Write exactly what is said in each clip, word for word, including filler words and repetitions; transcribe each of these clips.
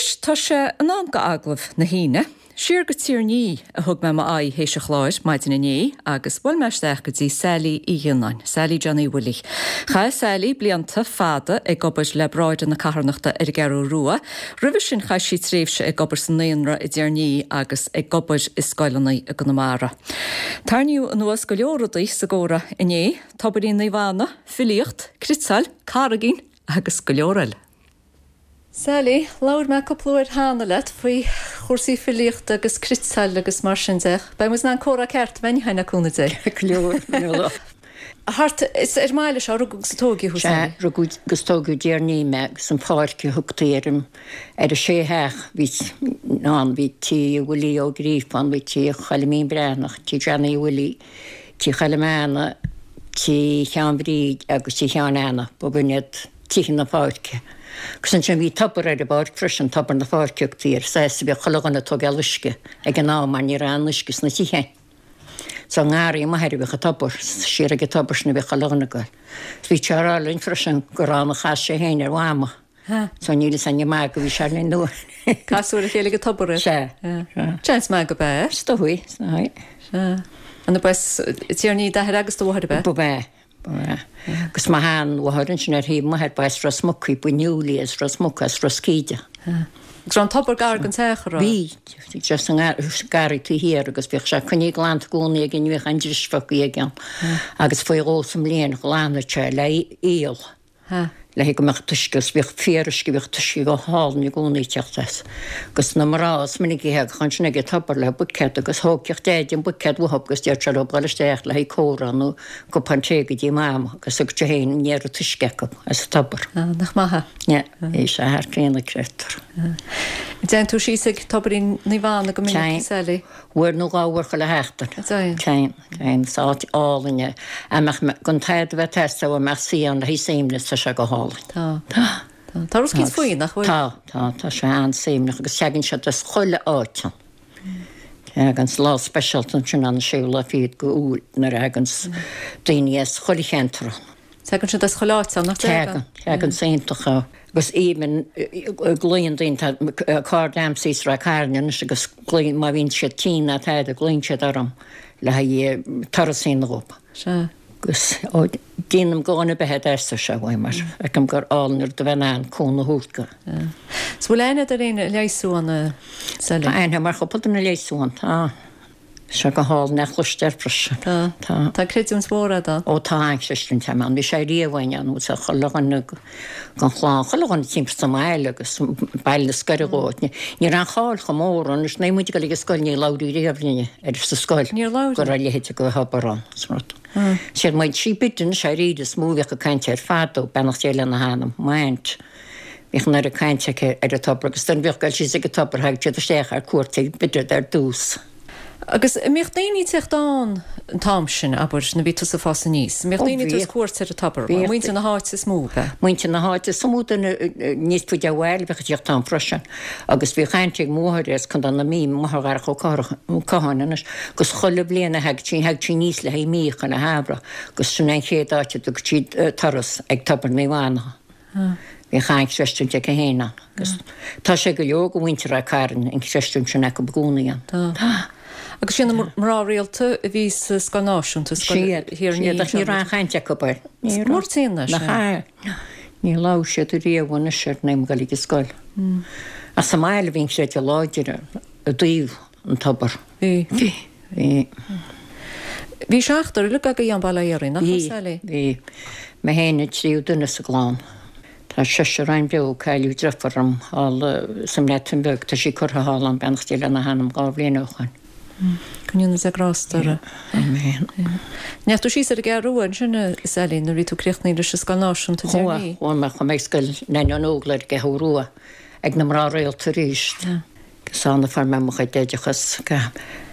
Anois tá sé in am do agallamh na hAoine. Siar go Tír an Fhí a thug mé m'aghaidh théis an chláir maidin inné agus bhuail mé isteach go dtí Sally Uí Ghionnáin, Sally Johnny Willie. Chaith Sally blianta fada ag obair le Bráithre na Carthanachta ar an gCeathrú Rua. Roimhe sin chaith sí tréimhse ag obair sa naíonra i dTír an Fhí agus ag obair i scoileanna i gConamara. Tarraingíodh anuas go leor rudaí sa gcomhrá inné, Tobairín Naomh Anna, filíocht, cniotáil, carraigín agus go leor eile. Sally, labhair mé cúpla uair cheana leat faoi chúrsaí filíochta agus cniotáil agus mar sin de. Beidh muid in ann comhrá ceart a bheith againn le cúnamh Dé. Go leor. Thart is ar an mbaile seo rugadh agus a tógadh thú, Sea, Sally. rugadh agus tógadh i dTír an Fhí mé agus an pháirc a thugtaí ar an ar an sé theach bhí ann, bhí tí Willie Ó Gríofa ann, bhí tí Choilimín Breathnach, tí Johnny Willie, tí Choilm Anna, tí Sheáin Bhríd agus tí Sheáin Anna, ba b'in iad tithe na páirce. Agus ansin bhí tobar ar an bpáirc freisin, tobar na páirce a thugtaí air, is as a bhíodh chuile dhuine ag tógáil uisce ag an am mar ní raibh aon uisce sna tithe. So i ngarraí m'athar a bhíodh an tobar, siar ag an tobar sin a bhíodh chuile dhuine ag goil. Bhí sé á rá linn freisin gur ann a chas sé féin ar Mhama. So níl fhios againn an maith go bhí sé linn nó. Casadh ar a chéile ag an tobar é? Sea. Sea. Seans maith go b'ea. Is dóigh, is dóigh. Sea. An ab as Tír an Fhí d'athair agus do mháthair ab ea? Ba ea. Agus mo sheanmháthair ansin ar thaobh m'athar ba as Ros Muc í, ba Newley as Ros Muc, as Ros Cíde. Agus raibh an tobar gar don teach, an raibh? Bhí, just an garraí taobh thiar agus bhíodh sé coinnithe glanta i gcónaí aige, ní bhíodh aon dris fágtha aige ann. Agus faoi dhó sa mbliain ghlanadh sé le aol. Le go mbeadh an t-uisce agus bhíodh fíoruisce, bhíodh t-uisce go hálainn i gcónaí ag teacht as. Agus na mná is minic a thagadh ansin ag an tobar le buicéad agus thógfadh Deaide an buicéad uathu agus déarfadh sé leo dul isteach le haghaidh comhrá nó cupán tae go dtí Mama agus thug sé féin an oiread uisce acu as an tobar. Ah, nach maith é. Yeah, bhí sé thar cionn creidtear. Dtéann tú síos ag Tobairín Naomh Anna go minic, Sally? Uair nó dhá uair chuile sheachtain. Dtéann. Téann, téann. Is áit álainn é. A mbeadh mé, gan tada a bheith ag teastáil uaim ach suí ann le haghaidh suaimhneas, tá sé go hálainn. Tá. Tá. Tá. Tá rud eicínt faoi, nach bhfuil? Tá, tá, tá sé an-suaimhneach agus teagann siad as chuile áit ann. Teagann lá speisialta ansin an séú lá fichead go Iúil nuair a thaganns daoine as chuile cheantar ann. Tagann siad as chuile áit ann, nach dtagann? Tagann, tagann is iontach é. Agus even glaonn daoine, tá cairde a'msa thíos i Ráth Cairn anois agus glaonn, má bhíonn siad tinn ná tada, glaonn siad orm le haghaidh turas a dhéanamh dhób. Sea. Agus ó, déanaim go dhuine ar bith a dteastódh sé uaim mar feicim gur álainn an rud a bheith in ann cúnamh a thabhairt go. Is bhfuil aithne agat ar éinne a leigheasadh ann, a Sally? Tá aithne agam ar chúpla duine a leigheasadh ann, tá. Tá sé go hálainn é a chloisteáil freisin. Tá. Tá. Tá creidiúint mhór agat ann. Ó tá an-chreidiúint agam ann. Bhí sé riamh againn ann agus chuile dhuine den chlann, chuile dhuine timpeall sa mbaile agus baile na scoile dhó. Ní raibh an cháil chomh mór ann. Anois nuair a bhí muid ag dul ag an scoil ní labhraí riamh linne ar sa scoil Níor labhair. go raibh a leithéid de thobar ann. Is rud. Siad muid sí Bidden is é is mó a bhíodh ag caint air fadó, beannacht Dé lena hanam, m'aint. Bhíodh an oiread cainte aici ar an tobar agus duine a bhíodh ag dul síos ag an tobar thagadh siad isteach ar cuairt ag Bidden ar dtús. Agus an mbíodh daoine ag teacht ann an t-am sin, abair, nuair a bhí tusa ag fás aníos? An mbíodh daoine ag tabhairt cuairt ar an tobar? Bhíodh. Muintir na háite is mó, ab ea? Muintir na háite is mó, duine níos faide ó bhaile bhíodh ag teacht ann freisin. Agus bhíodh aint ag mo mháthair as Contae na Mí, máthair Dharach Ó Catháin anois, agus chuile bhliain a thagadh sí, thagadh sí aníos le haghaidh mí chuile shamhradh agus sin é an chéad áit a dtugadh siad turas ag Tobar Naomh Anna. Bhíodh an-chreistiúint aici féin ann agus tá sé go leor go mhuintir Ráth Cairn an chreistiúint sin acu i gcónaí ann. Tá. Agus sin na mná rialta a bhí sa Scoil Náisiúnta, Scoil Thír an Fhí. Siad, ach ní raibh aon chaint acu air. Ní raibh. Murtaíonn leis. Nach ea. Ní labhair siad riamh anois air nuair a bhí mé ag dul ag an scoil. Ach sa mbaile bhí an creideamh láidir i dtaobh an tobar. Bhí. Bhí. Bhí. Bhí seachtar uilig agaibh i mBaile Átha Fhiarraí, nach raibh, Sally? Bhí. Bhí. Mé féin an tríú duine sa gclann. Tá seisear againn beo, cailleadh deirfiúr liom thall sa mBreatain Bheag, tá sí curtha thall ann, beannacht Dé lena hanam, dhá bhliain ó shoin. Go ndéana Dia grásta uirthi. Amen. Ndeachaigh tú síos ar an gCeathrú Rua ansin, a Sally, nuair a bhí tú críochnaithe leis an Scoil Náisiúnta i dTír an Fhí? Chuaigh, chuaigh mé, chuaigh mé ag Scoil Neaine Ní Óglaigh ar an gCeathrú Rua ag na mná rialta arís. Is ann a fuair mé mo chuid oideachas.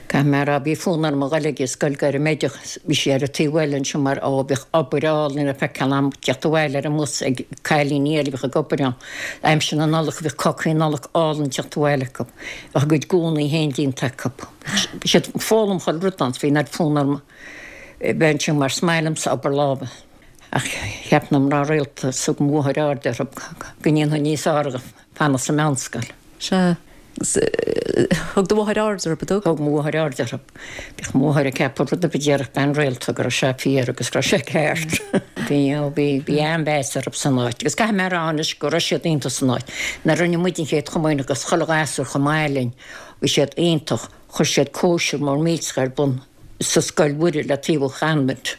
Caithfidh mé a rá, bhí fonn orm a dhul ag an scoil gairmoideachais, bhí sí ar an taobh eile ansin mar, ó, bhíodh obair álainn le feiceáil a'm teacht abhaile ar an mbus ag cailíní eile a bhíodh ag obair ann. Aimsir na Nollag bhíodh cácaí Nollag álainn teacht abhaile acu. Bheadh a gcuid gúnaí féin déanta acu. Bhí siad ag foghlaim chuile rud ann, bhí an oiread fonn orm bheith ansin mar is maith liomsa obair láimhe. Ach cheap na mná rialta, is thug mo mháthair aird orthu go ndéanfainn níos fearr fanacht sa mheánscoil. Sea. Thug do mháthair aird orthu, an dtug? Thug mo mháthair aird orthu. Bhíodh mo mháthair ag ceapadh rud ar bith a déarfadh bean rialta go raibh sé fíor agus go raibh sé ceart. Bhí, ó bhí, bhí an-mheas orthu san áit. Agus caithfidh mé a rá anois go raibh siad iontach san áit. Nuair a rinne muid an chéad chomaoineach agus chuile ghasúr chomh maith linn, bhí siad iontach. Chuir siad cóisir mór millteach ar bun sa Scoil Mhuire le taobh an choinbhint.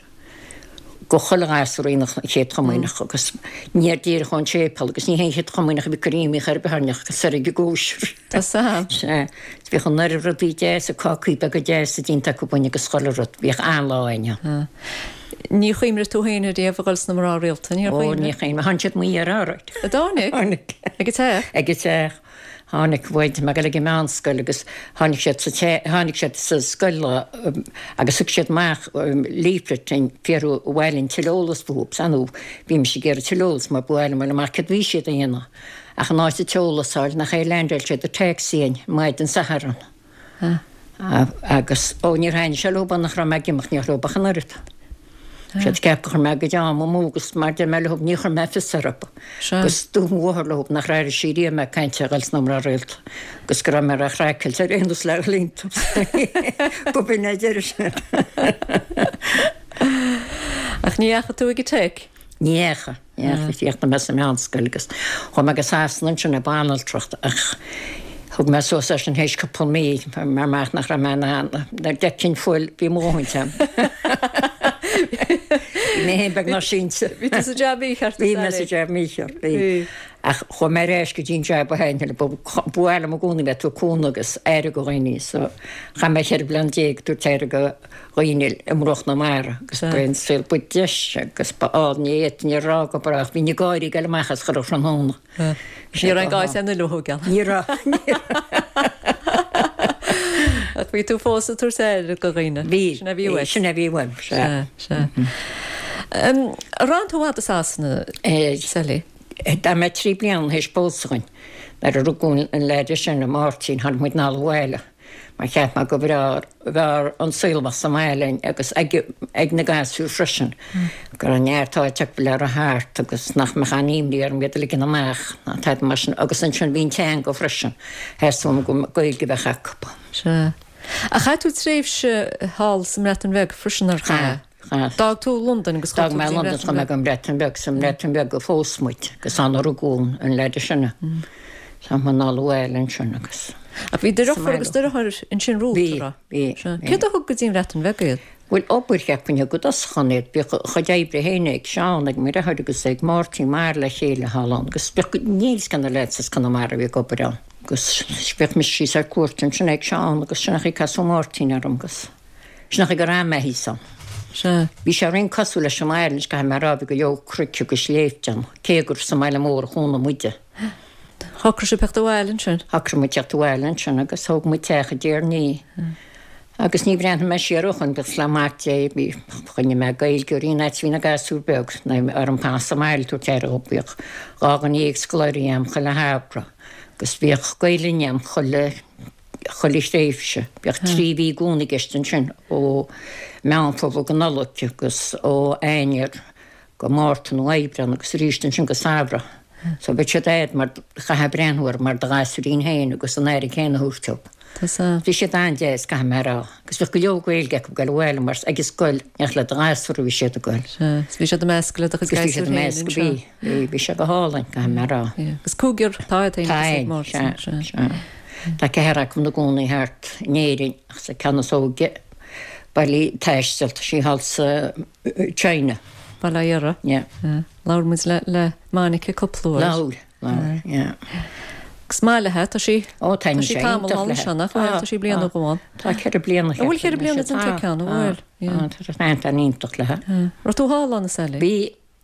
Go chuile ghasúr a rinne an Chéad Chomaoineach agus níor díreach ón séipéal agus ní hé an Chéad Chomaoineach a bhí curtha imithe ar bith orainn ach soir ag an gcóisir. Tá sam. Sea. Bhíodh an oiread rudaí deasa, cácaí beaga deasa déanta acu againn agus chuile rud. Bhíodh an-lá againn. Ní chuimhnigh tú féin ariamh a dhul sna mná rialta, níor Ó, chuimhnigh? ní chuimhnigh. Tháinig siad mo iarraidh alright. An dtáinig? Tháinig. Ag an teach? Ag an teach. Tháinig bhuel mé ag dul ag an meánscoil agus tháinig siad sa te, tháinig siad sa scoil lá agus thug siad amach leaflet dúinn fiafraí ar mhaith linn tuilleadh eolas fúthu. Ar ndóigh bhí mise ag iarraidh tuilleadh eolas mar ba mhaith liom a fháil amach céard a bhí siad a dhéanamh. Ach in áit an t-eolas a fháil nach é leaindeáil siad an taxi againn maidin Sathairn. Agus, ó níor thaitnigh sé leo nach raibh mé ag imeacht ní raibh ach an oiread. Siad ag ceapadh gur chuir mé a gcuid ama amú agus mar deir mé leo ní chuir mé fios orthu. Agus dúirt mo mháthair leo nach raibh sí riamh mé ag caint ar dhul sna mná rialta agus go raibh mé ró-chraiceáilte ar aon nós le dhul iontu. Go b'in é deireadh sin. Ach ní dheachaigh tú ag an Tech? Ní dheachaigh. Ní dheachaigh. Chríochnaigh mé sa meánscoil agus chuaigh mé go Sasana ansin ag banaltracht ach thug mé suas é sin théis cúpla mí mar amach nach raibh mé in ann nuair a d'fheicfinn fuil bhí mo dhóthain agam. Bhí mé féin beagnach sínte. Bhí tú sa jab mícheart. Bhí mé sa jab mícheart, bhí. Ach chuaigh mé ar ais go dtí an jab a thaitnigh liom. Ba mhaith liom i gcónaí bheith ag tabhairt cúnamh agus aire do dhaoine so chaith mé cheithre bliana déag ag tabhairt aire do dhaoine i mbruach na mara agus ba é an saol ba deise agus ba álainn ní fhéadfainn a rá go brách. Bhínn ag gáirí ag dul amach as chuile thráthnóna. Ní raibh aon gá an uile thógáil. Ní raibh. Ach bhí tú fós ag tabhairt aire do dhaoine. Bhí. Sin a bhí uait. Sin a bhí uaim, sea. Sea, sea. Ar fhan tú i bhfad i Sasana, Sally? D'fhan mé trí bliana théis pósadh dhúinn. Nuair a rugadh an leaid is sine, Máirtín, tháinig muid anall abhaile mar cheap mé go bhfearr bhfearr an saol a bheadh sa mbaile linn agus ag ag na gasúir freisin. Go raibh neart áit acu le rith thart agus nach mbeadh aon imní orm iad a ligean amach ná tada mar sin. Agus ansin bhí an teanga freisin. Theastaigh uaim go Gaeilge a bheadh acu. Sea. Ach chaith tú tréimhse thall sa mBreatain Bheag freisin ar chaith? Chaith. D'fhág tú Londain agus chuaigh D'fhág tú mé go dtí an Londain Bhreatain chuaigh mé Bheag. go an Bhreatain Bheag. Sa mBreatain Bheag a phós muid agus ann a rugadh an leaid is sine. Tháinig muid anall abhaile ansin agus. Ach bhí do Sa dheirfiúr agus mbaile. deartháir ansin romhat, Bhí, an raibh? bhí, Sea. bhí. Céard a thug go dtí an Bhreatain Bheag iad? Bhuel, obair cheapfainn a thug i dtosach ann iad. Bhíodh a chuid oibre féin ag Seán, ag mo dheartháir agus ag Máirtín mar le chéile thall ann agus bhíodh, níl 'fhios cé na lads as Conamara a bhí ag obair ann. Agus bhíodh mise síos ar cuairt ansin ag Seán agus sin an chaoi a casadh Máirtín orm agus sin an chaoi gur fhan mé thíos ann. Sea. Bhí sé roinnt cosúil leis an mbaile anois, caithfidh mé a rá, bhí go leor cnoic agus sléibhte ann, cé gur sa mbaile mór a chónaigh muide. Shocraigh sibh teacht abhaile ansin? Shocraigh muid teacht abhaile ansin agus thóg muid teach i dTír an Fhia. Agus ní bhreathnaigh mé siar ó shoin, buíochas le Mac Dé, bhí, choinnigh mé Gaeilge ar aon fhad is bhí na gasúir beag, nó orm fanacht sa mbaile ag tabhairt aire dhóibh, bhíodh dhá dhuine dhéag scoláirí a'm chuile shamhradh agus bhíodh Gaelainn a'm chuile, chuile thréimhse. Bhíodh trí mhí i gcónaí i gceist ansin, ó Meán Fómhair go Nollaig agus ó Eanáir go Márta nó Aibreán agus arís ansin go samhradh. So bheadh siad a'd mar chaithfeá breathnú orthu mar do ghasúirín féin agus an aire céanna a thabhairt dóibh. Tá sa. Bhí siad an-deas, caithfidh mé a rá. Agus bhíodh go leor Gaeilge acu ag dul abhaile mar ag an scoil ní ach le do ghasúir a bhí siad ag dul. Sea, 's bhí siad ag meascadh le do chuid Agus bhí siad gasúir ag féin meascadh, anseo. bhí, bhí, bhí sé go hálainn, caithfidh mé a rá. Yeah. Agus cúigear atá a'd féin Tá agus ag a'inn, Máirtín, sea, sea. sea. Tá ceathrar acu ina gcónaí thart in Éirinn ach sa ceann is óige bailí taisteal, tá sí thall sa China. Baile Átha Dhearra. Yeah. Yeah. Labhair muid le, le Monica cúpla uair. Labhair, labhair, yeah. Agus maith léi, tá sí, Ó, tá taitníonn sí sé tamall iontach ann léi. seo, nach bhfuil? Tá, Tá sí bliain tá. ó dhó. Tá ceithre bliana An bhfuil ceithre bliana tá, déanta aici ann, an tá, bhfuil? Yeah. Tá, tá sé iontach léi. Yeah. Raibh tú thall ann, a Sally? Bhí,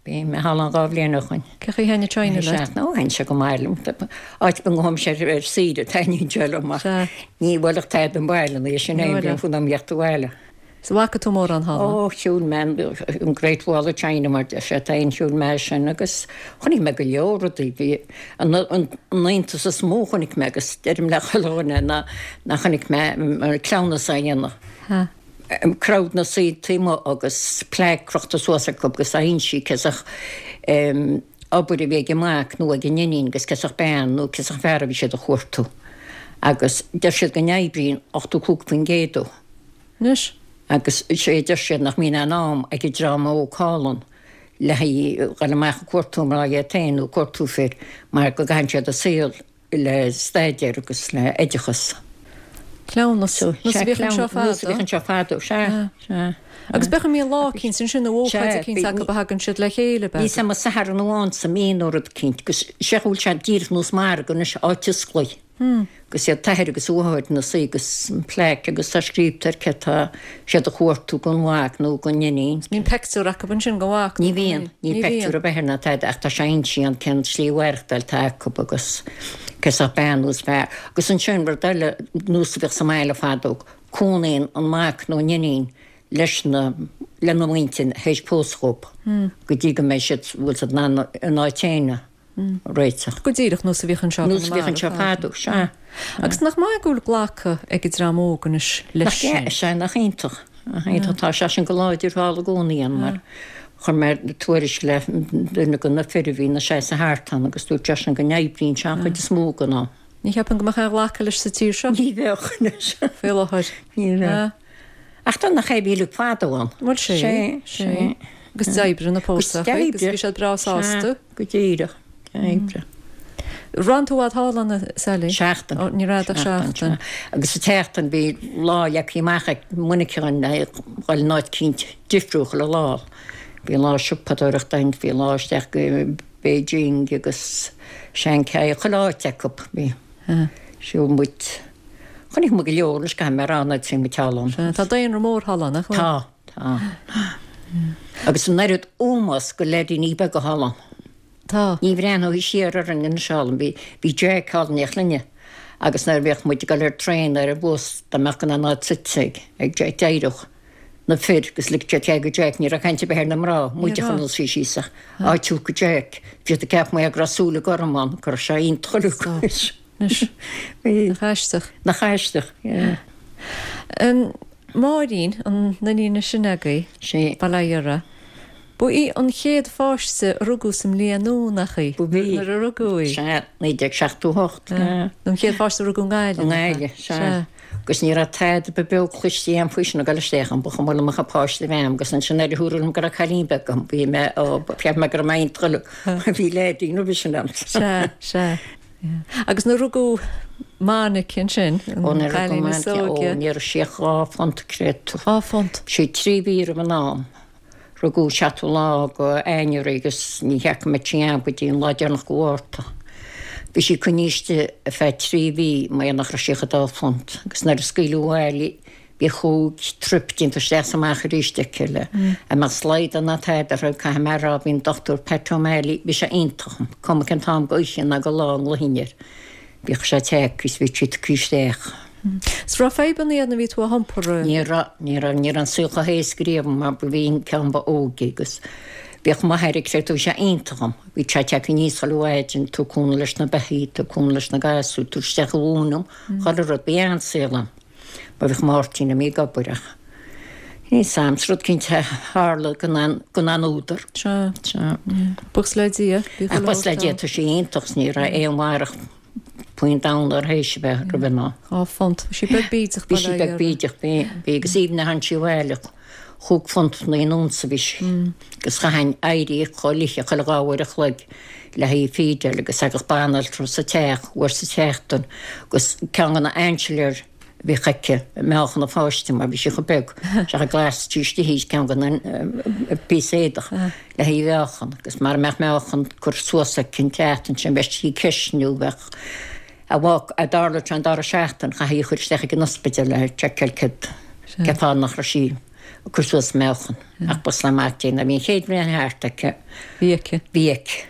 bhí mé thall ann dhá bhliain ó shoin. Cén chaoi a thaitnigh China leat? Sea, nó thaitnigh sé go maith liom. Áit ar bith a ngabhaimse ar, ar saoire, taitníonn sé liom ach Sea. ní bhfuil ach tada an baile, nó sin Ní é, bhfuil. bíonn fonn orm theacht abhaile. Is an bhfaca tú mórán thall? Ó, shiúil mé an Great Wall of China mar deir siad, aon shiúil mé sin agus chonaic mé go leor rudaí. Bhí an an iontas is mó chonaic mé agus deirim le chuile dhuine ná ná chonaic mé cleamhnas á dhéanamh. Ha. Crowd ina suí taobh amuigh agus plaque crochta suas acu agus á insí cé as obair a bhí ag an mac nó ag an iníon agus cén sórt bean nó cén sórt fear a bhí siad a chuartú. Agus deir siad go n-oibríonn ochtó cúig faoin gcéad dó. Anois. Agus is é a deir siad nach mbíonn aon am ag an dream óg thall ann le haghaidh dhul amach ag cuartú mná iad féin nó cuartú fir mar go gcaitheann siad a saol le staidéar agus le oideachas. Cleamhnas. Nós a bhíodh anseo fadó. Nós a bhíodh anseo fadó, sea, sea. Agus b'fhéidir go mbíonn lá eicínt ansin nó ócáid eicínt acu a thagann siad le chéile, b'fhéidir. Níl 's a'm an Satharn amháin sa mí nó rud eicínt, agus sé go bhfuil sé díreach nós margadh anois, áit osclaí. Agus iad t-athair agus an mháthair ina suí agus an plaic agus tá scríobhta air cé tá siad a chuartú don mhac nó don iníon. Mbíonn peictiúr acu ansin den mhac nó Ní bhíonn, níl peictiúr ar bith air ná tada ach tá sé inste ann cén slí mhaireachtáil atá acu agus cén sórt bean nó fear. Agus ansin rud eile nós a bhíodh sa mbaile fadó, cónaíonn an mac nó an iníon leis na, lena mhuintir théis pósadh dhób go dtí go mbeidh siad, bhfuil siad in ann a n-áit féin a réiteach. Go díreach nós a bhíodh anseo Nós a bhíodh anseo fadó, sea. Agus nach maith go bhfuil glactha ag an dream óg anois leis sin? Nach ea, sea, nach iontach. Nach iontach. Tá sé sin go láidir thall i gcónaí ann mar chuir mé tuairisc le duine de na fir a bhí ina seasamh thart ann agus dúirt seisean go n-oibríonn sé an chuid is mó den am. Ní cheapaim go mbeadh aon ghlacadh leis sa tír seo. Ní bheadh anois. Faoi láthair. Ní bheadh. Ach tá nach é bhí uilig fadó ann. Bhuel sé, sé. Agus d'oibrigh na póstacha agus bhí siad breá sásta. Go díreach, d'oibrigh. Raibh tú i bhfad thall ann, a Sally? Seachtain. Ó, ní raibh ach seachtain. Agus sa tseachtain bhí lá leagtha amach ag Monica againn le dhul in áit eicínt difriúil chuile lá. Bhí lá siopadóireachta ann, bhí lá isteach go Beijing agus Shanghai, chuile áit acu. Bhí. Shiúil muid. Chonaic muid go leor anois, caithfidh mé a rá, nuair a bhí muid thall ann. Sea, tá daonra mór thall ann, nach bhfuil? Tá, tá. Agus an oiread ómós do leaidíní beaga thall ann. Tá. Ní bhreathnófaí siar orainn anois thall ann. Bhí, bhí Jack thall in éineacht linne agus nuair a bhíodh muid ag dul ar traein ar an bhus, dá mbeadh gan aon áit suite ag, ag Jack, d'éireodh na fir agus ligfeadh siad cead go Jack, ní raibh caint ar bith ar na mná, muid a chur ina suí síos ach áit a thabhairt go Jack. Bhí siad ag ceapadh mar go raibh súile gorma ann, go raibh sé iontach uilig. Anois. Nach aisteach. Nach aisteach, yeah. Máirín, an iníon is sine agaibh, Sea. Bail ó Dhia uirthi. Ba í an chéad pháiste a rugadh sa mbliain nua, nach í? Ba í. Nuair a rugadh í. Sea, naoi déag seachtó a hocht. Nó an chéad pháiste a rugadh i nGaillimh. I nGaillimh, sea. Sea. Agus ní raibh tada ba beo cloiste agam faoi sin ag dul isteach ann, ba chuma liom ach an páiste a bheith agam agus ansin ar a thuaradh liom go raibh cailín beag agam, bhí mé, ó, cheap mé go raibh mé iontach uilig. Bhí leaidín roimhe sin agam. Sea, sea. Agus nuair a rugadh Monica ansin, Ó an nuair a rugadh cailín is Monica, ó óige. ní raibh sí ach dhá phunt, creid tú. Dhá phunt. Sí trí mhí roimh an am. Rugadh seachtú lá go Eanáir í agus ní sheaca mé trí am go dtí an lá deireanach go Mhárta. Bhí sí coinnithe istigh ar feadh trí mhí mar nach raibh sí ach dhá phunt agus nuair a scaoileadh abhaile í bhí chúig trip déanta isteach is amach arís aici le a mbeadh slaghdá ná tada uirthi, caithfidh mé a rá, bhí an Dochtúir Pat O'Malley, bhí sé iontach, cuma cén t-am go oíche ná go lá a nglaofainn air, bhíodh sé tagtha is bhí sí tugtha isteach. 'S raibh fadhbanna ann nuair a bhí tú á hiompar? Ní raibh, ní raibh, ní raibh an saol chomh héasca riamh mar ba bhí an ceann ba óige agus bhíodh m'athair ag creid, bhí sé iontach dhom, bhí sé tagtha aníos chuile mhaidin, tabhairt cúnamh leis na beithígh, tabhairt cúnamh leis na gasúir, tabhairt isteach an mhóin dhom, chuile rud, bhí an-saol ann. Mar bhíodh Máirtín imithe ag obair ach níl 's a'm, is rud cinnte a tharla gan aon, gan aon údar. Sea. Sea. Buíochas le Dia, bhí Ach chuile buíochas le shórt Dia, ann. tá sí iontach 's ní raibh aon mhairg faoin domhan uirthi théis a bheith roimh an am. Dhá phunt. Bhí sí beag bídeach, Bhí sí beag bídeach, bhí, bhí agus even a tháinig sí abhaile, chúig phunt naoi n-unsa a bhí sí. Agus chaithfinn éirí chomh luath chuile dhá uair a chloig le haghaidh feedáil agus thagadh banaltra sa teach uair sa tseachtain agus ceann de na ainsiléir a bhíodh aici ag meáchan an pháiste mar bhí sí chomh beag, seach a glasfaidís istigh í ceann de na píosa éadach le haghaidh a mheáchan agus mara mbeadh meáchan curtha suas aici an tseachtain sin bheadh sí ag ceistniú bheadh a mhac a dtarlódh sé an dara seachtain chaithfí í a chur isteach ag an ospidéal le seiceáil céard cén fáth nach raibh sí ag cur suas meáchan ach buíochas le Mac Dé nuair a bhí an chéad bhliain thart aici Bhí aici. bhí aici.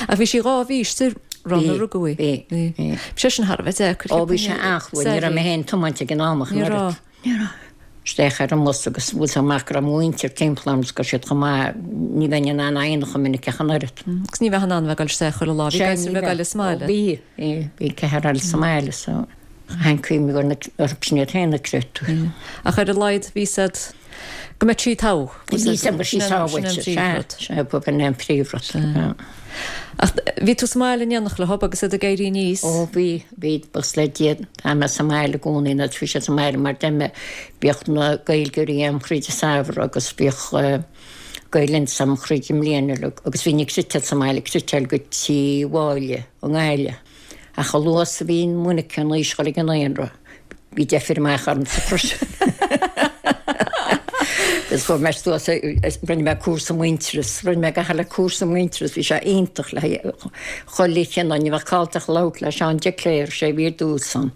Ach bhí sí dhá mhí istigh roimh a rugadh í. Bhí, Bhí. bhí. Bhí sé sin thar a bheith deacair. Ó bhí sé an-chrua, ní raibh mé féin ag tiomáint ag an am ach Ní an oiread. raibh. Ní raibh. Isteach ar an mbus agus bhfuil 's amach go raibh mo mhuintir timpeall orm agus go raibh siad chomh maith, ní bheinn in ann a dhéanamh chomh minic ach an oiread. Agus ní bheadh in ann bheith ag dul isteach chuile lá, bhí Sea, gasúir ní ag bheadh. dul sa mbaile. Ó bhí, bhí, bhí ceathrar eile sa mbaile so chaithfinn cuimhneamh ar na, orthu sin iad féin a creid tú. Ach ar a laghad bhí siad go mbeadh sí togha. Bhí siad go sí sábháilte, sea, sea, ba b'in é an príomhrud. Ach bhí tú sa mbaile in éineacht leo agus iad ag éirí aníos? Ó bhí, bhí, buíochas le Dia, tá mé sa mbaile i gcónaí nó bhí siad sa mbaile mar deir mé, bhíodh na Gaeilgeoirí a'm thríd an samhradh agus bhíodh Gael Linn a'm thríd an mbliain uilig agus bhínn ag citeáil sa mbaile, ag citeáil go tí Mháille i nGaillimh. Ach a luaithe is a bhí Monica in aois dhul ag an naíonra, bhí deifir amach ormsa freisin. Agus chuaigh mé suas, rinne mé cúrsa Muintearas, rinne mé gach uile cúrsa Muintearas, bhí sé iontach le chuile chineál, ní bheadh call ach labhairt le Seán de Cléir, sé a bhí ar dtús ann,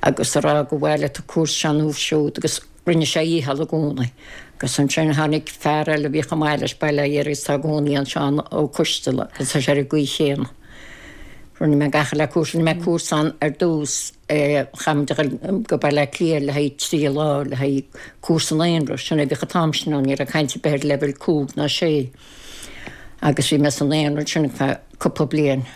agus a rá go bhfáil tú cúrsa seo nó siúd agus rinne sé a dhícheall i gcónaí. Agus ansin tháinig fear eile a bhí chomh maith leis, bail ó Dhia air agus tá i gcónaí ann, Seán Ó Coisteala, agus tá sé ar an gcaoi chéanna. Rinne mé gach uile cúrsa, rinne mé cúrsa ann ar dtús, chaith muid a dhul go Baile Átha Cliath le haghaidh trí lá, le haghaidh cúrsa naíonra, sin é a bhíodh an t-am sin ann, ní raibh caint ar bith ar leibhéal cúig ná sé. Agus bhí mé sa naíonra ansin ar feadh cúpla bliain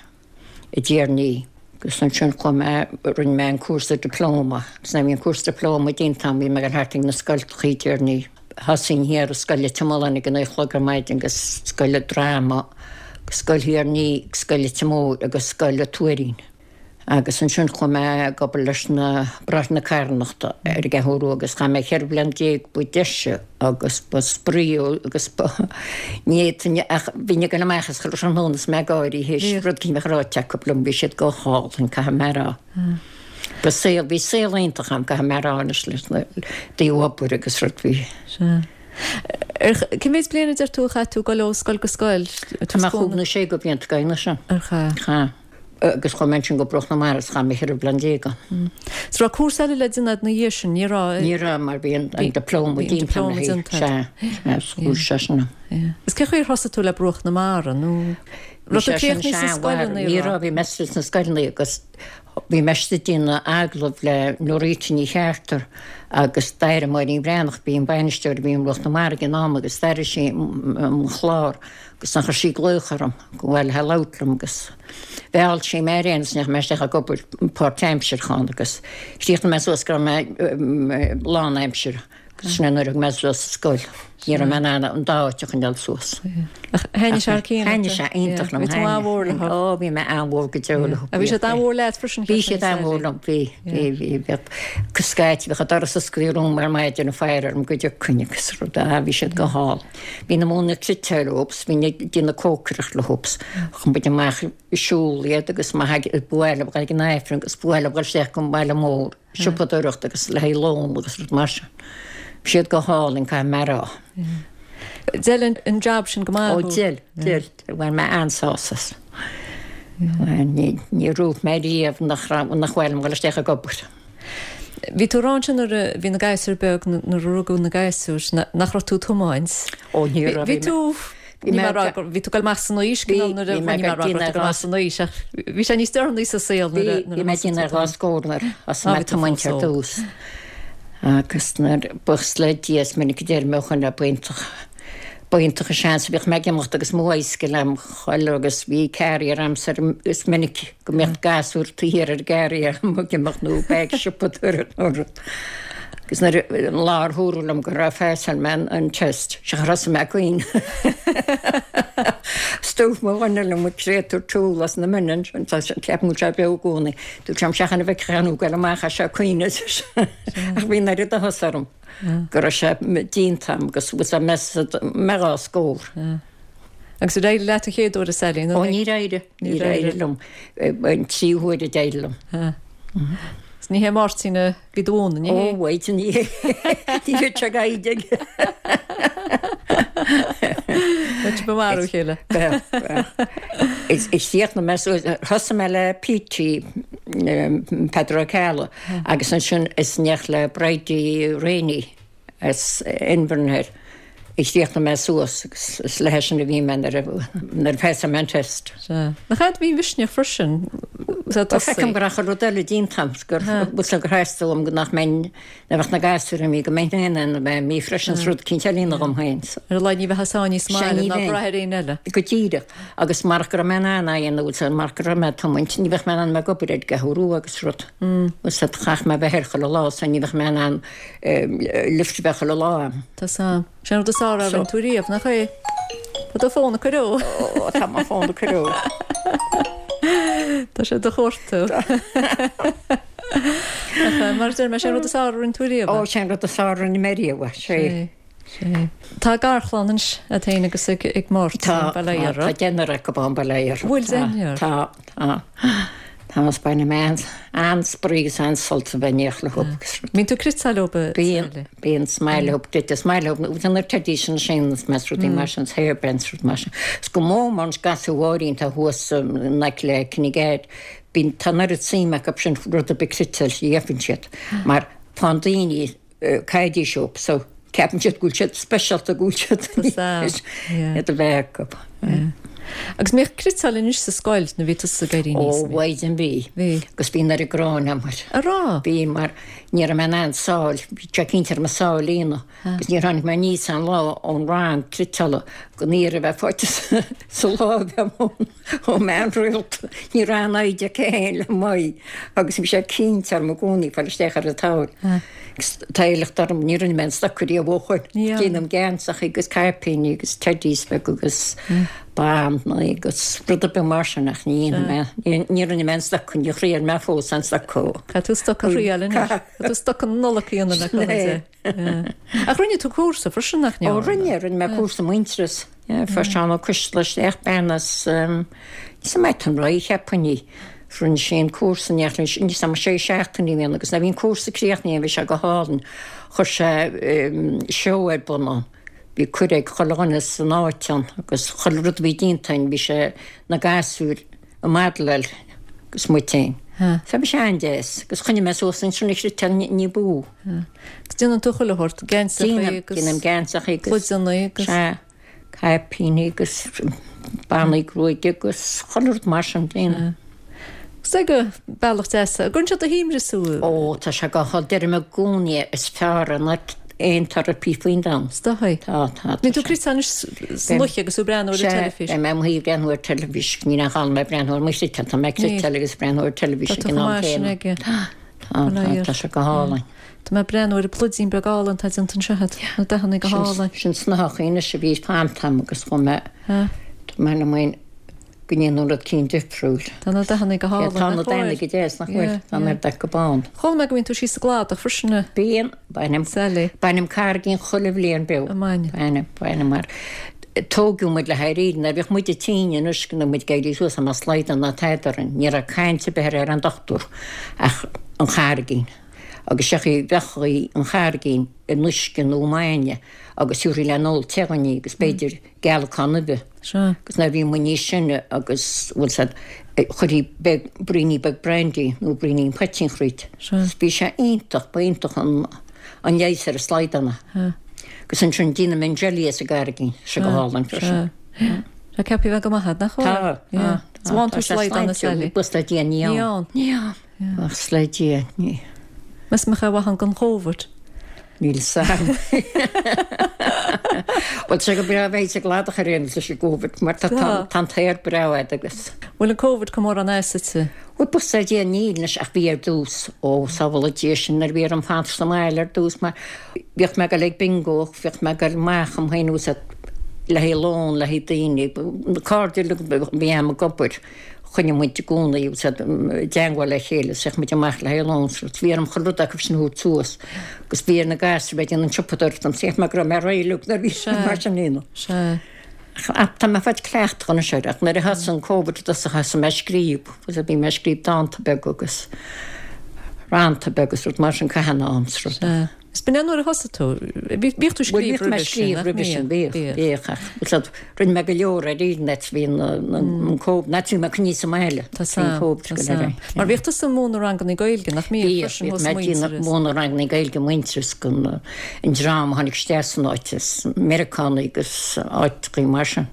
i dTír an Fhia. Agus ansin chuaigh mé, rinne mé an cúrsa diplóma, agus nuair a bhí an cúrsa diplóma déanta agam bhí mé ag dul thart ag na scoltachaí i dTír an Fhia. Thosaínn thiar i Scoil Leitir Mealláin ag a naoi a chlog ar maidin agus Scoil an Droma, Scoil Thír an Fhia, Scoil Leitir Móir agus Scoil an Tuairín. Agus ansin chuaigh mé ag obair leis na Bráithre na Carthanachta ar an gCeathrú Rua agus chaith mé cheithre bliana déag ba deise agus ba spraoi agus ba ní fhéadfainn ach bhínn ag dul amach as chuile thráthnóna is mé ag gáirí théis rud éicint a bheith ráite acu liom, bhí siad go hálainn, caithfidh mé a rá. Ba saol, bhí saol iontach agam, caithfidh mé a rá anois leis na taobh obair agus rud, bhí. Sea. Ar, cé mhéad bliain a deir tú a chaith tú ag dul ó scoil go scoil? Chaith mé chúig nó sé de bhlianta ag déanamh sin. Ar chaith? Chaith. Agus chuaigh mé ansin go Bruach na Mara is chaith mé cheithre bliana déag ann. So raibh cúrsa eile le déanamh ina dhiaidh sin, ní raibh? Ní raibh mar bhí an diplóma déanta agam. Sea, sea, chuaigh sé sin. Is cé chaoi ar thosaigh tú le Bruach na Mara nó raibh tú críochnaithe sna scoileanna? Ní raibh, bhí mé sna scoileanna agus bhí mé ag déanamh agallamh le Norita Ní Cheartar agus d'airigh Máirín Bhreathnach, b'í an bainisteoir a bhí i mBruach na Mara ag an am agus d'airigh sí mo chlár agus ansin chuir sí glaoch orm go bhfuil le labhairt liom agus mheall sí mé ar aon nós ndeachaigh mé isteach ag obair páirtaimseartha ann agus chríochnaigh mé suas go raibh mé lánaimseartha agus sin é nuair a thug mé suas sa scoil. Ní raibh mé in ann an dá áit a choinneáil suas. Ach thaitnigh sé thar cionn leat? Thaitnigh sé iontach liom. Bhí tú an-mhór leo. Ó, bhí mé an-mhór go deo leo. Bhí siad an-mhór leat freisin? Bhí siad an-mhór liom, bhí, bhí, bhí. Bheadh scaití, bheadh an doras oscailte romham ar maidin ag faire orm go dtiocfainn agus rud, ah, bhí siad go hálainn. Bhínn ag múineadh cniotáil leo, bhínn ag déanamh cócaireacht leo, thug muid amach ag siúl iad agus má ba mhaith leo dhul ag an Aifreann agus ba mhaith leo dhul isteach go baile mór, siopadóireacht agus le haghaidh lón agus rud mar sin. Bhí siad go hálainn, caithfidh mé a rá. D'fheil an jab sin go maith Ó, d'fheil, d'fheil. Bhain mé an-sásamh as. Ní, ní raibh mé riamh nach raibh, nach mhaith liom dhul isteach ag obair. Bhí tú ag rá ansin nuair a bhí na gasúir beag, nuair a rugadh na gasúir, nach raibh tú ag tiomáint. Ó, ní raibh. Bhí tú, ní mé a rá gur, bhí tú ag dul amach san aois, cineál nuair a, ní mé a rá go raibh tú ag dul amach san aois ach bhí sé níos deireanaí sa saol nuair a, Bhí, bhí mé ag déanamh ar dhá scór nuair a thosaigh mé ag tiomáint ar dtús. Agus nuair, buíochas le Dia, is minic a deir mé ó shoin, b'iontach, b'iontach an seans a bhíodh mé ag imeacht agus mo bhicycle a'm chuile agus bhí carrier a'msa ar is minic go mbeadh gasúr taobh thiar ar an gcarrier a'm ag imeacht nó bag siopadóireachta nó rud. Agus nuair a, an lá ar dúradh liom go raibh phassáil mé an test, sea thosaigh mé ag caoineadh. 'S dúirt mo dhuine liom, an créatúr tool as na mine ansin, tá sé, ceapaim go bhfuil sé beo i gcónaí. Dúirt sé liom, seachain a bhfeicfeá thú ag goil amach as seo ag caoineadh. Ach bhí an oiread áthas orm go raibh sé déanta agam agus bhfuil sé mé mé dhá scór. Agus ar éirigh leat an chéad uair a Sally? Ó níor éirigh, níor éirigh liom. An tríú huair a d'éirigh liom. Is ní hé Máirtín a bhí do mhúineadh, ní hé? Ó wait, ní hé. Ní bheadh sé gaidhig. Bheadh sibh ag marú a chéile. Bheadh, bheadh. Is chríochnaigh mé suas, thosaigh mé le Petey, Peadar Ó Ceallaigh, agus ansin is in éineacht le Bridie Rainey as Inbhir na Thoir a chríochnaigh mé suas agus is léi sin a bhí mé nuair a nuair a phassáil mé an test. Sea. Nach ea, bhí misneach freisin sa tosaigh. Feicim go raibh chuile rud eile déanta agam gur bhfuil gur theastaigh uaim go nach mbeinn nach mbeadh na gasúir imithe go mbeinn féin in ann a bheith imithe freisin is rud eicínt eile a dhéanamh dhom féin. Ar a laghad ní bheifeá sáinnithe sa mbaile ná brath ar éinne eile. Go díreach. Agus marach go raibh mé in ann é a dhéanamh bhfuil sé marach go raibh mé ag tiomáint ní bheadh mé in ann a bheith ag obair ar an gCeathrú Rua agus rud. Bhfuil sé chaithfeadh mé a bheith thoir chuile lá so ní bheadh mé in ann lift a bheith chuile lá agam. Tá a fhios a'm. Sin an rud is fearr a rinne tú riamh, nach é? Tá do fón ag corrú. Ó, tá mo fón ag corrú. Tá sé do chuartú. Ach mar deir mé sé rud is fearr a rinne tú riamh. Ó, sé rud is fearr a rinne mé riamh, sé. Sé. Tá garchlann anois agat féin agus ag ag Máirtín Tá, Baile tá, Iarra. tá deichniúr acu ann Baile Iarra. Bhfuil Tá, deichniúr? tá, tá. Tá is bainim an-spraoi agus an-sult a bheith in éineacht leo agus rud. Bíonn tú ag cniotáil leo Bíonn, Sally? bíonn is maith leo, is maith leo, nó na teidí sin sin is meas rudaí mar sin, hairbands rud mar sin. Is go mór mar an gasúr Mháirín tá thuas in aice le Kinnegad, bíonn tá an oiread suim acu sin rud ar bith cniotáil a gheibheann siad, mar faigheann daoine caidí uathu so ceapann siad go bhfuil siad speisialta go bhfuil siad iad a bheith acu. Agus mbíodh cniotáil anois sa scoil nuair a bhí tusa ag éirí Ó aníos? mhaighdean bhí. Bhí. Agus bhí an oiread gráin agam air. A rá? Bhí mar ní raibh mé in ann sáil, bhí sé cinnte orm sáil a líonadh. Agus níor tháinig mé aníos aon lá ón rang cniotála gan iarraidh a bheith faighte sa láimh agam ón mbean rialta. Ní raibh aon fhoighid aici féin le m'aghaidh agus bhí sé cinnte orm i gcónaí fáil isteach ar an tsamhail. Agus tá éileacht orm, ní rinne mé an stoc riamh ó shoin. Déanaim geansachaí agus caipíní agus teddies beaga agus bannaí agus rud ar bith mar sin ach ní dhéanfaidh mé, ní rinne mé an stoc, ní thriail mé fós an stoc. Caithfidh tú stoc a thriail anois. Caithfidh tú stoc na Nollag a dhéanamh le cúnamh Dé. Ach rinne tú cúrsa freisin nach Ó rinne, rinne mé cúrsa Muintearas. Fuair Seán Ó Coisteala isteach bean as sa Athenry cheapfainn í. Rinne sé an cúrsa ní níos am sé seachtainí a bhí ann agus nuair a bhí an cúrsa críochnaithe bhí sé go hálainn. Chuir sé seó ar bun ann. Bhí cuireadh ag chuile dhuine san áit ann agus chuile rud a bhí déanta againn bhí sé na gasúir ag modeláil agus muid féin. So bhí sé an-deas agus choinnigh mé suas ansin an chniotáil ní b'fhiú. Agus déanann tú chuile shórt, geansachaí agus Déanaim geansachaí agus pluideanna agus Sea, caipíní agus bannaí gruaige agus chuile rud mar sin déanaim. Is é go bealach deas. An gcuireann sé do shuaimhneas thú? Ó, tá sé go hálainn. Deirim i gcónaí is fearr ná aon therapy faoin domhan. Is dóigh. Tá, tá. Bíonn tú ag cniotáil anois san oíche agus tú ag breathnú ar an teilifís. Sea, beidh mé i mo shuí ag breathnú ar teilifís. Níl aon chall mé ag breathnú ar mo chniotáil, tá mé ag cniotáil agus ag breathnú ar teilifís Tá ag tú an chomh am maith sin céanna. aige. Tá, tá, tá sé go hálainn. Tá mé ag breathnú ar an bpluidín beag álainn atá déanta anseo agat. Na dathanna go hálainn. Sin snáitheachaí anois a bhí fanta agam agus chuaigh mé, tá mé liom féin go ndéanfainn rud eicínt difriúil. Tá na dathanna go hálainn. Tá na dathanna go deas, nach bhfuil? Tá an oiread acu bán. Chuala mé go mbíonn tú síos sa gcladach freisin. Bíonn, bainim, Sally. bainim carraigín chuile bhliain beo. An mbaineann? Bainim, bainim mar tógadh muid le hÉirinn, nuair a bhíodh muid tinn anois go muid ag éirí suas ná slaghdán ná tada orainn, ní raibh caint ar bith ar an dochtúir ach an charraigín. Agus seachaí bheadh an charraigín in uisce nó bainne agus thabharfaí le n-ól te dhúinn í agus b'fhéidir gealacán uibhe. Sea. Agus nuair a bhí muid níos sine agus bhfuil said chuirtí beag braoinín beag brandy nó braoinín poitín thríd. Sea. Bhí sé iontach, ba iontach an an leigheas ar an slaghdán. Agus ansin déanaim an jelly as an gcarraigín, sé go hálainn freisin. Sea. Tá ceaptha bheith go maith agat, nach bhfuil? Tá, tá. Is bhain tú slaghdán a Sally? Buíochas le Dia ní Ní ann. ann. Ní ann. Buíochas le Dia, ní. Meas mbeadh mhaith ann don Chóvid? Níl 's a'm. Bhuel tá sé go breá bheith sa gcladach ar aon nós leis an gCóvid mar tá tá an t-aer breá a'd agus. Bhfuil an Covid chomh mór an as duitse? Bhuel buíochas le Dia níl anois ach bhí ar dtús ó sábhála Dia sinn nuair a bhí orm fanacht sa mbaile ar dtús mar bhíodh mé ag dul ag bingo bhíodh mé ag dul amach am féin úsáid le haghaidh lón le haghaidh daoine na cairde uilig a bhí a'm ag obair. Choinnigh muid i gcónaí úsáid i dteangmháil le chéile is bhíodh muid amach le haghaidh lón so bhí orm chuile rud acu sin a thabhairt suas agus bhí ar na gasúir bheith ag déanamh an tsiopadóireacht dom cheap mé go raibh mé réidh uilig nuair a bhí Sea. mar sin dhéanamh. Sea. Ach tá mé faighte cleachtach anois air ach nuair a thosaigh an Covid i dtosach thosaigh mé ag scríobh agus bhí mé ag scríobh dánta beaga agus rannta beaga agus rud mar sin caitheamh an am is rud. Sea. Is b'in é nuair a thosaigh tú. Bhíodh tú ag Bhuel scríobh bhíodh mé roimhe ag sin, scríobh nach roimhe sin, mbíodh? bhíodh, Bhíodh. bhíodh ach bhuel siad rinne mé go leor ar internet bhí an Covid, ná bhí mé coinní sa mbaile Tá bhí an sam, Covid tá go sam. léir. Mar bhíodh tusa ag múineadh ranganna Gaeilge, nach mbíodh Bhíodh, freisin bhíodh thuas mé ag déanamh Muintearas. múineadh ranganna Gaeilge Muintearas don an dream a tháinig isteach san áit is Meiriceánaigh agus áiteachaí mar sin.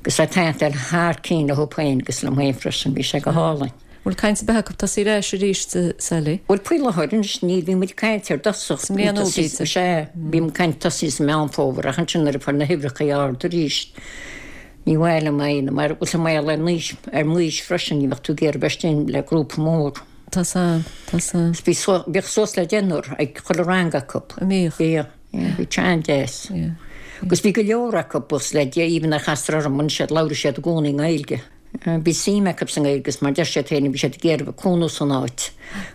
Agus a taitneamh thar cinn leo féin agus liom féin freisin, bhí sé go hálainn. Bhfuil caint ar bith acu tosaí ar ais arís, Sally? Bhuel faoi láthair anois ní bhí muid ag caint ar dtosach. Sa mbliain nua, b'fhéidir. Sea, bhí muid ag caint tosaí sa Meán Fómhair ach ansin nuair a fuair na huimhreacha ard arís ní mhaith liom é mar bhfuil sa mbaol ar m'aois ar m'aois freisin ní bheadh tú ag iarraidh bheith istigh le grúpa mór. Tá sam, tá sam. Bhí bhíodh suas le deichniúr ag chuile rang acu. An mbíodh? Bhíodh, bhí sé an-deas. Yeah. Agus bhí go leor acu buíochas le Dia, even a chastar orm bhain siad, labhraigh siad i gcónaí i nGaeilge. Bhí suim acu sa nGaeilge agus mar deir siad féin bhí siad ag iarraidh bheith cónú san áit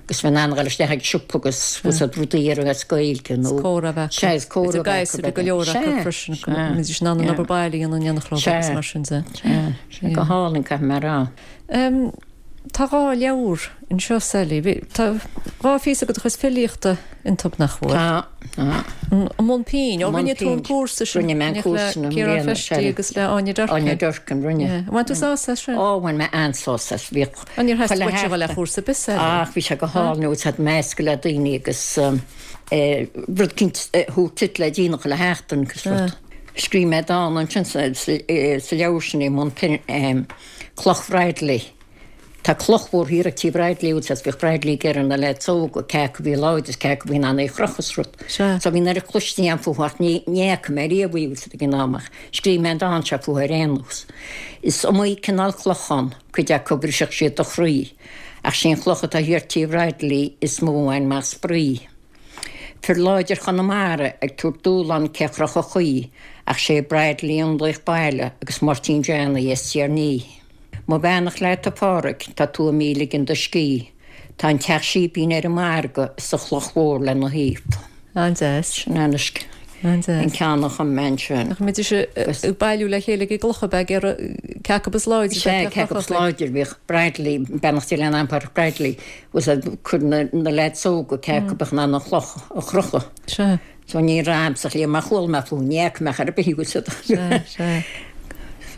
agus bheith in ann a dhul isteach ag siopa agus bhfuil siad rudaí a iarraidh as Gaeilge nó Is comhrá a bheith acu. Sea, is comhrá Idir a bheith gasúir acu go leor acu Sea, freisin, sea, go mbeidís in ann an obair baile a dhéanamh in éineacht leo agus Sea. mar sin de. Sea, sea, go hálainn caithfidh mé a rá. Um, Tá dhá leabhar anseo Sally. Bhí- Tá dhá phíosa de do chuid filíochta iontu nach bhfuil. Tá, tá. An Mbun Pinn, ó Mbun rinne tú an Pinn. cúrsa sin. Rinne mé an le cúrsa na Ciarán mbliana, Feistí sea. agus le Áine Durkin. Áine Durkin, rinne. Yeah. Bhain tú sásamh as sin? Ó, bhain mé an-sásamh as. Bhíodh An níor theastaigh chuile uait a dhul le sheachtain. chúrsa bis eile? Ach, bhí sé go hálainn nó tá meascadh le daoine agus um, eh, rud eicínt eh, thú tit le déanamh le sheachtain agus rud. Scríobh mé dán ansin sa sa- eh, sa leabhar sin i mbun pinn em, Cloch Bradley. Tá cloch mhór thiar ag tí Bradley úd bhíodh Bradley ag iarraidh na leaids óga cé acu bhí láidir cé acu bhí in ann é a chrochadh is rud. Sea. So bhí an oiread cloiste agam fúthu ach ní ní fhaca mé riamh í úd ag an am ach scríobh mé an dán seo fúthu ar aon nós. Is iomaí cineál clochán cuid acu brisfeadh siad do chroí, ach sí an chloch atá thiar tí Bradley is mó a bhain mé spraoi. Fir láidir Chonamara ag tabhairt dúshlán cé chrochfadh í, ach sé Bradley an laoch baile agus Máirtín Johnny as Tír Ní. Mo bheannacht leat a Phádraig, tá tú i mo ligean do scíth. Tá an teach síbín ar an margadh sa chloch mhór lena thaobh. An-deas. Sin anois An-deas. an ceann a chum mé ansin. Nach mbeidís ag bailiú le chéile ag gclocha beag ar cé acu is láidir. Sé cé acu is láidir bhíodh Bradley, beannacht Dé lena anam Pádraig Bradley, was a chur na na leaids óga cé acu bheadh in ann an chloch a chrochadh. Sea. So ní raibh sa chlí mar chuala mé fúthu, ní fhaca mé ar bith í Sea, sea.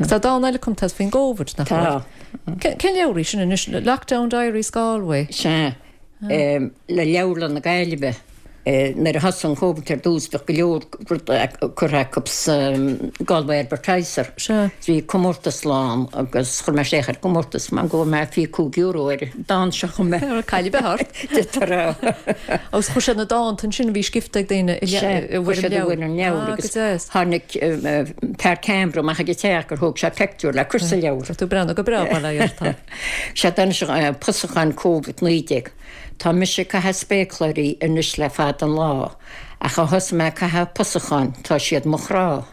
Tá dán eile cumtha faoin gCovid nach Tá. bhfuil? Cén leabhar í sin anois Lockdown Diaries Galway. Sea, em, le Leabharlann na Gaillimhe. Eh, nuair a thosaigh an Covid ar dtús bheadh go leor curtha acu sa Galway Advertiser. Sea. Bhí comórtas lán agus chuir mé isteach ar comórtas mar go mé fiche cúig euro ar dán seo chum mé. Ar cailí behart. Tar Agus chuir sé na dánta sin a bhí scríofa ag daoine i bhfuil an leabhar agus deas. Tháinig fear ceamara amach ag teach gur thóg sé pictiúr le cur sa leabhar. Tá tú breathnú go breá le dheartá. Sé dan seo pusachán Covid naoi déag. Tá mise ag caitheamh spéacláirí anois le fada an lá, ach ó thosaigh mé ag caitheamh pusacháin tá siad mo chrá.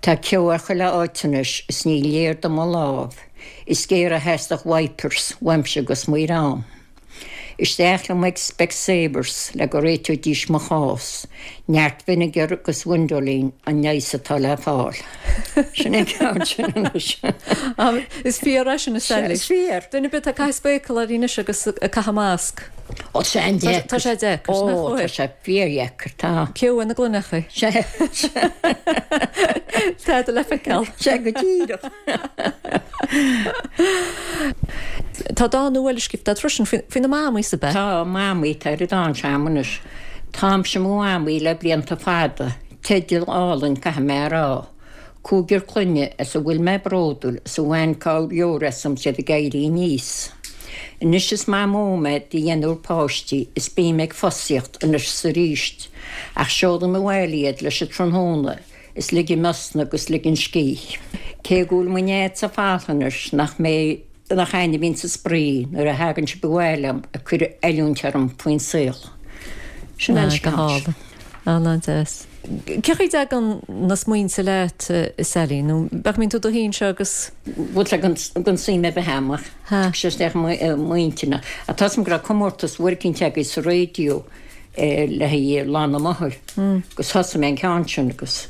Tá ceo ar chuile áit anois is ní léir do mo lámh, is géar a theastaigh wipers uaimse agus mo dhream. Isteach liom ag Specsavers le go réiteoidís mo chás, neart vinegar agus Windolene an leigheas atá le fáil. Sin é ceann sin anois. Is fíor é sin a Sally. Is fíor. Duine ar bith ag caitheamh spéacláirí anois agus ag caitheamh masc. Ó sé an deacair. Tá sé deacair, Ó, nach tá bhfuil? sé fíordheacair, tá. Ceo ina gcluineacha. Sé Tá le feiceáil. sé go díreach. Tá dán nua scríofa freisin faoi na mamaí sa be. Tá mamaí tá ar dán seam anois. Táimse mo mhamaí le blianta fada, teideal álainn caithfidh mé a rá. Cúigear clainne as a bhfuil mé bródúil is a bhain cabhair leor asam siad ag éirí aníos. Anois is mamó mé de dheichniúr páistí is bím ag fosaíocht anois is arís, ach seolaim abhaile iad leis an tráthnóna is ligim osna agus ligim scíth. Cé go bhfuil mo nead sa falthanais nach mé nach aine bhíonn sa spraoi nuair a thagann sibh abhaile liom ag cur oiliúint orm faoin saol. Sin an Go scéal. hálainn. An-deas. Cén chaoi a dtagann na smaointe leat Sally nó bheadh mín tú do haon seo agus Bhfuil le gan gan suim a bheith amach. Ha. Sé isteach m'intinn. A tá go raibh comórtas working agus sa raidió le haghaidh Lá na Máthar. Agus thosaigh mé an ceann sin agus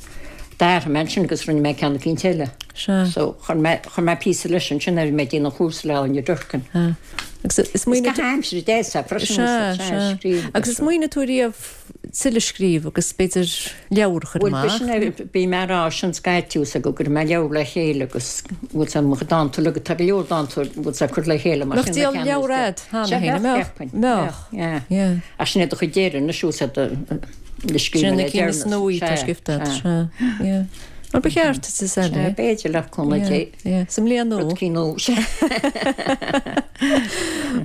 d'athraigh mé sin agus rinne mé ceann eicínt eile. Sea. So chuir mé chuir mé píosa leis ansin ar mé déanamh chúrsa le Áine Durkin. Ha. Agus is Is smaoineamh go haimsir deas freisin Sea, sea. Agus is smaoineamh tú riamh tuilleadh scríobh agus b'fhéidir leabhar a chur Bhuel amach. sin bhí mé rá sin scaitiús go gur mé leabhar le chéile agus bhfuil sa mo dánta le tá go leor dánta bhfuil sa chur le chéile mar Nach sin díol le leabhar ceann agat, cheana Sea, féin, bheadh, mbeadh, cheapfainn. mbeadh. Yeah. Yeah. Ach sin é do chuid deireadh na siús le scríobh Sin na le cinn is deireanas. nuaí tá Sea, scríofa agat, sea. sea. Yeah. Mar ba cheart duit Sally. B'fhéidir le cúnamh Dé. Sa mbliain nua. Rud cinn nua. Sea.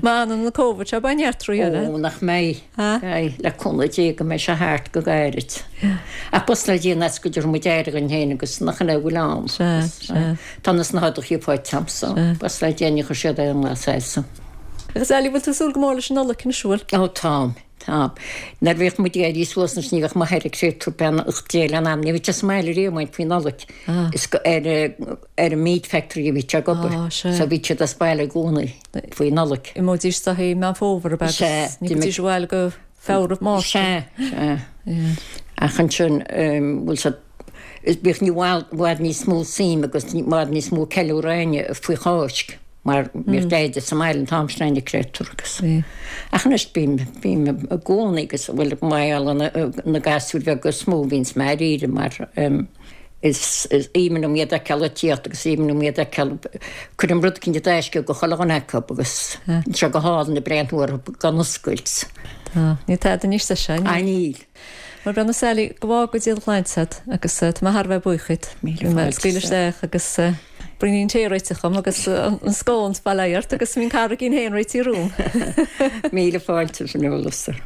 Má fhanann an Covid seo beidh neart rudaí eile. Ó, nach mbeidh. Ha? Beidh, le cúnamh Dé go mbeidh sé thart go gairid. Ach buíochas le Dia as go dtabharfaidh muid aire dhúinn féin agus nach ina bhfuil ann. Sea, sea. Tá na snáthacha faighte agam, so buíochas le Dia ní chuir siad aon lá salsa. Agus Sally, bhfuil tú ag súil go mór leis an Nollaig anois, bhfuil? Ó táim, táim. Nuair a bhíodh muid ag éirí suas anois ní bheadh m'athair ag créatúr beannacht Dé lena anam, ní bhíodh sé sa mbaile riamh muid faoi Nollaig. Is go ar ar an meat factory a bhí sé ag obair. So bhí siad as baile i gcónaí faoi Nollaig. Imeoidís sa i Meán Fómhair ab ea agus ní bhídís abhaile go Feabhra, Márta. Sea, sea. Ach ansin, bhfuil siad, bhíodh i bhfad níos mó suim agus i bhfad níos mó ceiliúradh againne faoi Cháisc mar bhíodh Deaide sa mbaile an t-am sin againne créatúr agus. Ach anois bím, bím i gcónaí agus bhuel mar gheall ar na gasúir bheaga is mó a bhíonns mé dáiríre mar is aoibhinn liom iad a fheiceáil ag tíocht agus aoibhinn liom iad a fheiceáil, cuirim rud eicínt i dtaisce go chuile dhuine acu agus tá sé go hálainn ag breathnú orthu gan oscailt. Tá. Níl tada níos deise, níl? Níl. Bhuel a Sally, go bhfága Dia do shláinte agat agus tá mé thar a bheith buíoch díot. Míle fáilte. Scaoil isteach agus braoinín tae réitithe agam agus an scón bail ó Dhia ort agus bhí an carraigín féin réitithe romham. Míle fáilte Fionnuala.